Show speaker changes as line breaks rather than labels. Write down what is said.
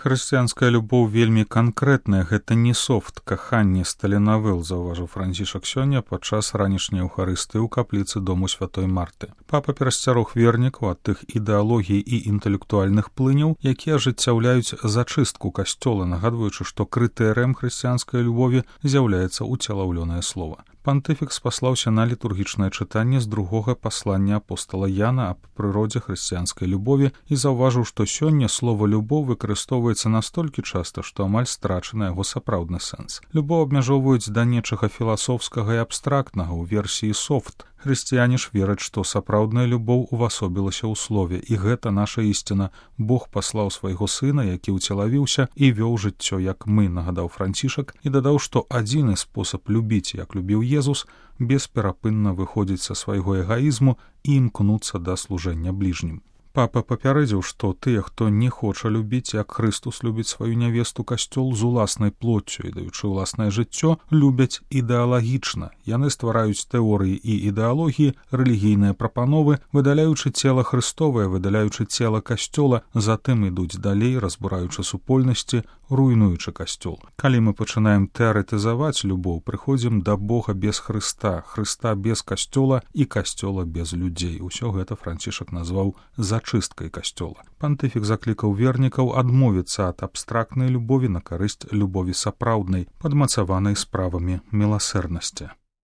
Хрысціянская любоў вельмі канкрэтная, гэта не софт каханне з таленавел, заўважыў Францішак сёння падчас ранішняй еўхарыстыі ў капліцы дому святой Марты. Папа перасцярог вернікаў ад тых ідэалогій і інтэлектуальных плыняў, якія ажыццяўляюць зачыстку касцёла, нагадваючы, што крытэрыем хрысціянскай любові з'яўляецца уцелаўлёнае слова. Пантыфік спаслаўся на літургічнае чытанне з другога паслання апостала Яна аб прыродзе хрысціянскай любові і заўважыў, што сёння слова «любоў» выкарыстоўваецца настолькі часта, што амаль страчаны яго сапраўдны сэнс. Любоў абмяжоўваюць да нечага філасофскага і абстрактнага ў версіі софт. Хрысціяне ж вераць, што сапраўдная любоў увасобілася ў слове, і гэта наша ісціна. Бог паслаў свайго сына, які ўцелавіўся і вёў жыццё, як мы, нагадаў Францішак, і дадаў, што адзіны спосаб любіць, як любіў Езус, бесперапынна выходзіць са свайго эгаізму і імкнуцца да служэння бліжнім. Папа папярэдзіў, што тыя, хто не хоча любіць, як Хрыстус любіць сваю нявесту, касцёл з уласнай плоццю і даючы ўласнае жыццё, любяць ідэалагічна. Яны ствараюць тэорыі і ідэалогіі, рэлігійныя прапановы, выдаляючы цела Хрыстовае, выдаляючы цела касцёла, затым ідуць далей, разбураючы супольнасці, руйнуючы касцёл. Калі мы пачынаем тэарэтызаваць любоў, прыходзім да Бога без Хрыста, Хрыста без касцёла і касцёла без людзей. Усё гэта Францішак назваў зачысткай касцёла. Пантыфік заклікаў вернікаў адмовіцца ад абстрактнай любові на карысць любові сапраўднай, падмацаванай справамі міласэрнасці.